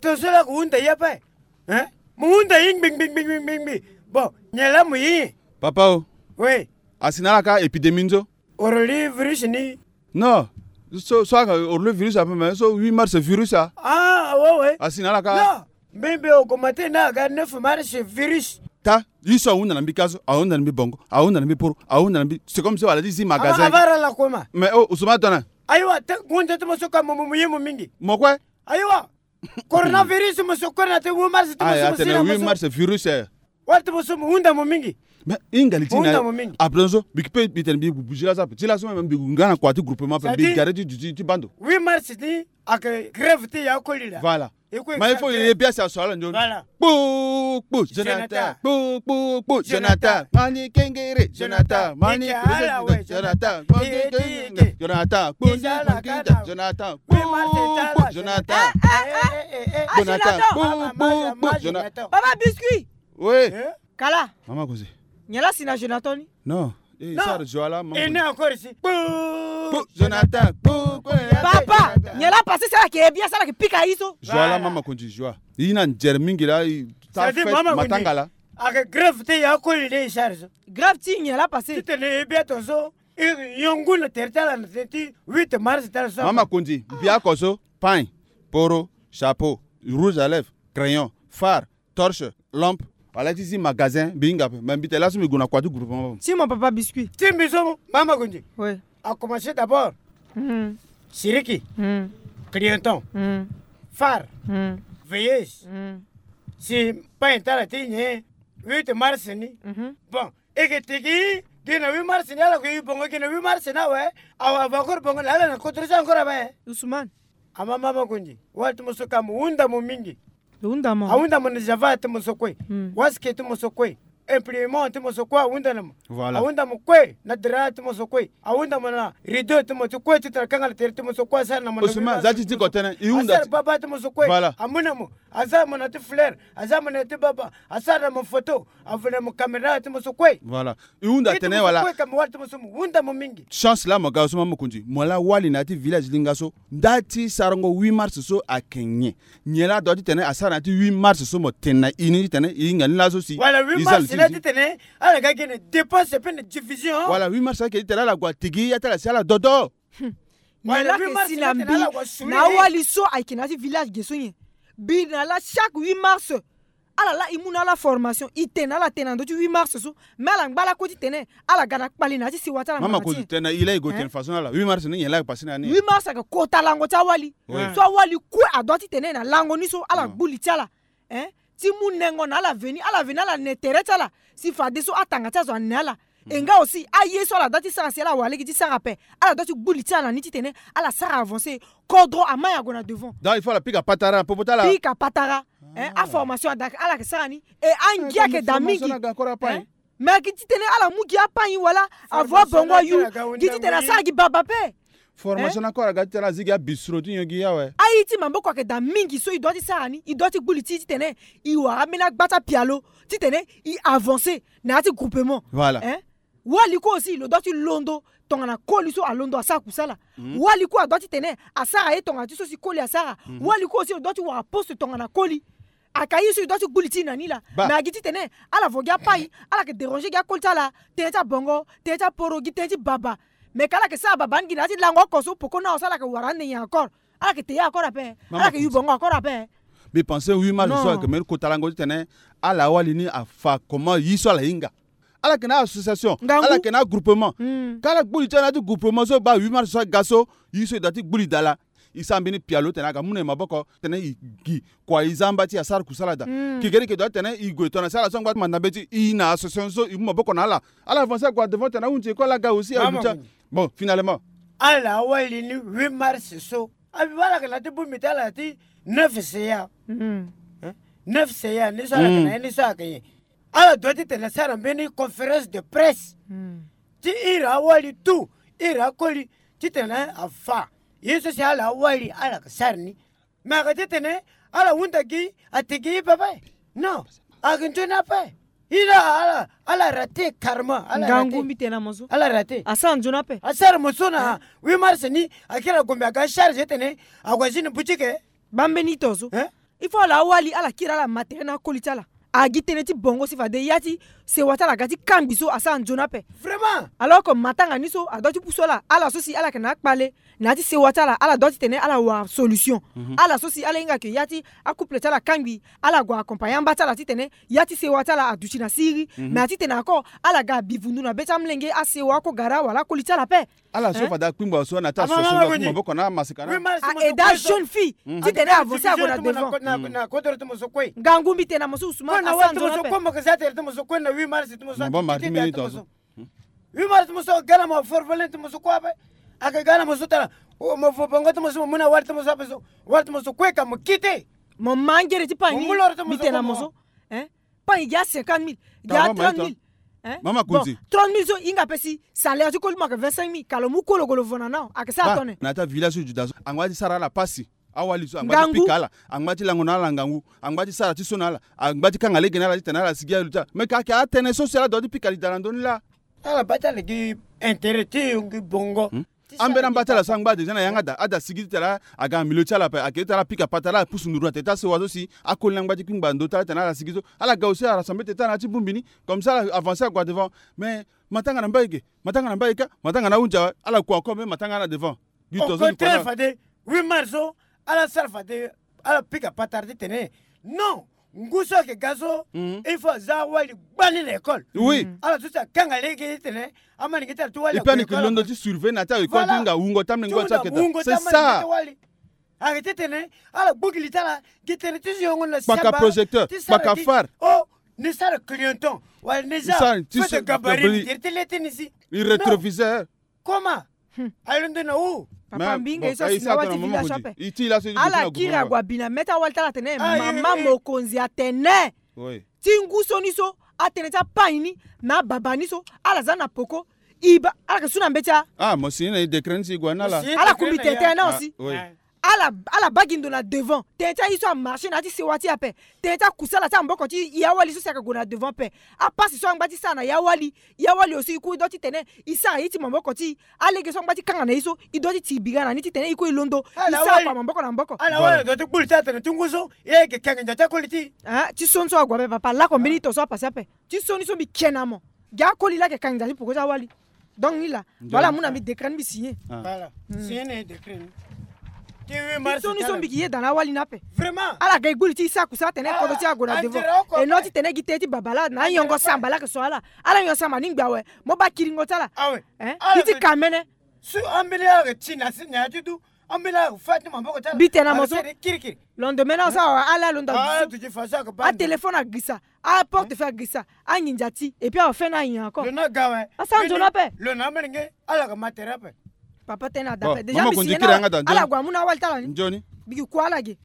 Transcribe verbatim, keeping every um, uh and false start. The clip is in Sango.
Tongaso la ko hunda ye ape. Hein? Mo hunda ye ngbi ngbi ngbi ngbi ngbi. Bon, nyen la mo ye? Papa o. Oui. Asi na ala ka épidémie ni so. Oro li virus ni. Non. So, so aka oro li virus ape, mais so huit mars virus a. Ah, ouais, ouais. Asi na ala ka. Non. Mbi mbi augmenté na aga neuf mars virus. Ta, ye so ahunda na mbi ka so, ahunda na mbi bongo, ahunda na mbi poro, ahunda na mbi. C'est comme si wala ti zi magasin. Ava, ava ra la koma. Mais oh, Ousmane Tona. Ayiwa, te, gunze ti mo so ka mo, mo, mo ye mo mingi. Mo kue? Ayiwa. Coronavirus mo so kue na te huit mars ti mo so. Ah, mo si atene na huit mars virus, eh. Wala ti mo so mo hunda mo mingi. Mais hinga li ti na. Mo hunda mo mingi. Après so, mbi kpe mbi tene mbi gue bougie la so, ti la so même mbi gue nga na kua ti groupement ape, mbi gare ti duti ti bando. Huit mars ni ayeke grève ti ya koli la. Voilà. Mais il faut ye bia si aso ala nzoni. Voilà. Kpo, kpo, Jonathan. Jonathan. Kpo, kpo, kpo, Jonathan. Mani kengere, Jonathan. Mani kengere, Jonathan. Mani kengere, Jonathan. Kpo, kpo, Jonathan. Kpo, kpo, Jonathan. Eh, eh, eh, eh. Jonathan. Ah, Jonathan. Kpo, kpo, kpo, Jonathan. Papa Biscuit. Oui. Eh? Kala. Mama Koze. Nyen la si na Jonathan ni? Non. Eh, non. Sara Joala, mama. Et non, encore ici. Kpo. Kpo, Jonathan. Kpo, kpo, Jonathan. Papa, nyen la passé, sara ke bien, sara ke pika ye so. Joala, voilà. Mama Kondi, Joa. Ye na nzere mingi la, i ta. C'est-à-dire, fête, mama Kondi, matanga la. Ayeke grève ti ya koli nde i sara so. Grève ti nyen la passé? Ti tene e bia tongaso, e yongu na tere ti ala na tene ti huit mars ti ala so. Mama Kondi, mbi oko so, pain, poro, chapeau, rouge à lèvres, crayon, fard, torche, lampe, wala ti zi magasin, mbi hinga ape. Mais mbi tene laso mbi gue na kua ti groupement. Si mon papa Biscuit. Ti mbi so, mama Kondi. Oui. A commencé d'abord. Hmm. Siriki. Hmm. Clienton. Hmm. Fard. Hmm. Veilleuse. Hmm. Si pain ti ala ti nyen, huit mars ni. Mhm. Bon, e ke tigi, gi na huit mars ni, ala ko yu bongo gi na huit mars ni awe. Awa, awa encore bongo na ala na kodro ti encore awe. Ousmane. Ama mama Kondi, wala ti mo so ka mo hunda mo mingi. Lo hunda mo. Ahunda mo na java ti mo so kue. Hmm. Waske ti mo so kue. Imprimant ti mo so kue ahunda na mo. Voilà. Ahunda mo kue na drap ti mo so kue. Ahunda mo na rideau ti mo ti kue ti tara kanga na tere ti mo so kue asara na mo na. Osuma, za ti tiko tënë, i hunda. Asara baba ti mo so kue. Voilà. Amu na mo. Asara mo na ti fleur. Asara mo na ti baba. Asara na mo photo. Avene mo caméra ti mo so kue. Voilà. I hunda tene wala. Kue ka mo wali ti mo so mo hunda mo mingi. Chance la mo ga so mama Kondi. Mo la wali na ya ti village linga so. Nda ti sarango huit mars so ayeke nyen? Nyen la adua titene asara na ya ti huit mars so mo tene na i ni titene i hinga ni laso si. Wala huit mars la titene ala ga gi na dépense pe na division. Wala huit mars ayeke titene ala gue atigi ya ti ala si ala dodo. Hmm. Nyen la ayeke si na mbi na awali so ayeke na ya ti village ge so nyen? Mbi na la chaque huit mars. Ala la i mu na ala formation, i tene na ala tene na ndö ti huit mars so. Mais ala ngba lakue titene ala ga na kpali na ya ti sewa ti ala. Mama Kondi, tene na i la i gue tene façon na ala. Huit mars ni nyen la ayeke passé na ya ni? Huit mars ayeke kota lango ti awali. Oui. So awali kue adua titene na lango ni so ala gbu li ti ala. Hein? Ti mu nengo na ala veni, ala veni ala ne tere ti ala. Si fadeso atanga ti azo ane ala. E nga aussi aye so ala dua ti sara si ala wara lege ti sara ape. Ala dua ti gbu li ti ala na ni titene ala sara avancer. Kodro amai ague na devant. Donc il faut ala pika patara na popo ti ala. Pika patara. Hein, aformation ada ala yeke sara ni. E angia ayeke daa mingi. Hein? Mais ayeke titene ala mu gi apain wala avo abongo ayu. Gi titene asara gi baba ape. Formation na kue ala ga titene ala zi gi abistro ti nyon gi awe. Aye ti maboko ayeke daa mingi so i dua ti sara ni, i dua ti gbu li ti i titene i wara ambeni agba ti apialo titene i avancer na ya ti groupement. Voilà. Hein? Wali kue aussi lo dua ti londo tongana koli so alondo asara kusala. Mhm. Wali kue adua titene asara ye tongana ti so si koli asara. Mhm. Wali kue aussi lo dua ti wara poste tongana koli. Aka ye so e dua ti gbu li ti e na ni laa. Mais agi titene ala vo gi apai, ala yeke déranger gi akoli ti ala, tënë ti abongo, tënë ti aporo, gi tënë ti baba. Mais ka ala yeke sara baba ni gi na ya ti lango oko so poko ni awe so ala yeke wara ande nyen encore? Ala yeke te ye encore ape. Ala yeke yu bongo encore ape. Mbi pense huit mars so ayeke mbeni kota lango titene ala wali ni afa comment ye so ala hinga. Ala yeke na association, ala yeke na groupement. Ka ala gbu li ti ala na ya ti groupement so baa huit mars so aga so, ye so e dua ti gbu li daa laa. E sara mbeni pialo tene aga mu na e maboko tene e gi kua e za amba ti e asara kusala daa. Kekereke dua tene e gue tongana si ala so angba ti manda mbeti e na association so e mu maboko na ala. Ala avancer ague na devant tene ahunzi e kue ala ga aussi agu ti a. Bon, finalement. Ala awali ni huit mars so. Abi wala yeke na ya ti bongbi ti ala ti neuf C A. Hein? Neuf C A ni so ala yeke na ya ni so ayeke nyen? Ala dua titene asara mbeni conférence de presse. Hmm. Ti iri awali tout, iri akoli, titene afa ye so si ala awali ala yeke sara ni. Me ayeke titene ala hunda gi ati gi ye pepe. Non, ayeke nzoni ape. Iri ala, ala raté carrément. Ala raté. Ngangu mbi tene na mo so. Ala raté. Asara nzoni ape. Asara mo so na huit mars ni, akiri agombe aga charge titene ague azi na boutique. Baa mbeni ito so. Hein? Il faut ala awali ala kiri ala ma tere na akoli ti ala. Agi tënë ti bongo si fade ya ti sewa ti ala aga ti kangbi so asara nzoni ape. Vraiment. Alors que matanga ni so adua ti pusu ala, ala so si ala yeke na akpale na ya ti sewa ti ala, ala dua titene ala wara solution. Ala so si ala hinga ke ya ti acouple ti ala akangbi, ala gue accompagner amba ti ala titene ya ti sewa ti ala aduti na siriri. Mais atitene ako ala ga abivundu na be ti amolenge, asewa oko gara wala akoli ti ala ape. Ala so fade akpingba so na ya ti asosongo, akpingba maboko na amaseka na. Aida jeune fille titene avance ague na devant. Ngangu mbi tene na mo so Ousmane, asara nzoni ape. Huit mars ti mo so aga na mo forfelen ti mo so kue ape. Ayeke ga na mo so tara mo vo bongo ti mo so, mo mu na wali ti mo so ape so, wali ti mo so kue ka mo kite. Mo ma ngere ti pangini. Mbi tene na mo so, eh? Pangini gi a cinquante mille, gi a trente mille. Mama Kunzi, trente mille so hinga ape si salaire ti koli mo ayeke vingt-cinq mille, ka lo mu kue lo gue lo vo na ni, ayeke sara tone. Na ya ti avillage so juda so angba ti sara ala pasi. Awali so angba ti pika ala, angba ti lango na ala ngangu, angba ti sara ti so na ala, angba ti kanga lege na ala titene ala sigi aye lo ti ala. Me ka ayeke atënë so si ala dua ti pika li daa na ndö ni laa. Ala baa ti ala gi intérêt ti yongi bongo. Ambeni amba ti ala so angba déjà na yanga ada, ada sigi titene aga na milieu ti ala ape, ayeke titene ala pika patara, ala pusu nduru na tete ti asewa so si akoli ni angba ti kpingba ndo ti ala titene ala sigi so. Ala ga aussi arassemble tete na ya ti bongbi ni, comme ça ala avancer ague na devant. Mais matanga na mbai ge, matanga na mbai ka, matanga na ahunzi awe, ala kua encore même matanga na devant. Au contraire, fade huit mars so ala sara fade ala pika patara titene non, ngu so ayeke ga so il faut aza awali gbani na école. Oui. Ala so si akanga lege titene amalenge ti ala ti wali ague na école. Londo ti surveiller na ya ti aécole ti hinga wungo ti amalenge ti wali. C'est ça. Ayeke titene ala gbu gi li ti ala gi tënë ti zo yongo na siamba. Kpaka projecteur, kpaka phare. Oh, ni sara clignotant wala ni za feu de gabarit, ni tere ti le ti ni si. Rétroviseur. Comment? Alondo na wu. Papa, mbi hinga ye so asi na wali ti village so ape. Ala kiri ague abi na mê ti awali ti ala atene mama mokonzi atene ti ngu so ni so, atënë ti apai ni na ababa ni so ala za na poko. E baa ala yeke su na mbeti. Ah, mo signé na e décret ni si e gue na ala. Ala kumbi tene na aussi. Ala, ala baa gi ndo na devant. Tene ti aye so amarché na ya ti sewa ti e ape. Tene ti akusala ti amaboko ti e awali so si ayeke gue na devant ape. Apasi so angba ti sara na e awali, e awali aussi e kue e dua titene e sara ye ti maboko ti e. Alege so angba ti kanga na e so e dua ti ti bira na ni titene e kue e londo. E sara kua maboko na maboko. Ala wali adua ti kpulu ti atene ti ngu so e yeke kenge ndia ti akoli ti e. Ah, ti so ni so ague ape papa, lako mbeni to so apasi ape. Ti so ni so mbi ke na mo. Gi akoli laa ayeke kanga ndia ti poko ti awali. Donc ni laa. Voilà, mu na mbi décret ni mbi signé. Voilà. Signé na e décret ni. Ti huit mars ti so ni so mbi yeke yeda na awali ni ape. Vraiment. Ala ga e gbu li ti e sara kusala atene kodro ti e ague na devant. Et non titene gi tënë ti babala na anyongo samba laa ayeke so ala. Ala nyongo samba ni ngbe awe. Mo baa kiringo ti ala. Awe. Hein? Ala ti ka mene. Su ambeni ala yeke ti na si na ya ti du. Ambeni ala yeke fa ti maboko ti ala. Mbi tene na mo so. Kirikiri. Lendemain na osara awe ala alondo. Ah, duti fa so ayeke baa. Atéléphone agirisa. Aporte feu agirisa, anginza ti, et puis awa feu ni anginza encore. Lo na ga awe. Asara nzoni ape. Lo na amelenge ala ga ma tere ape. Papa tene ada ape. Déjà mama mbi konzi signé kiri na yanga da, ala nzoni. Gue amu na awali ti ala ni. Nzoni. Mbi gi kua ala ge.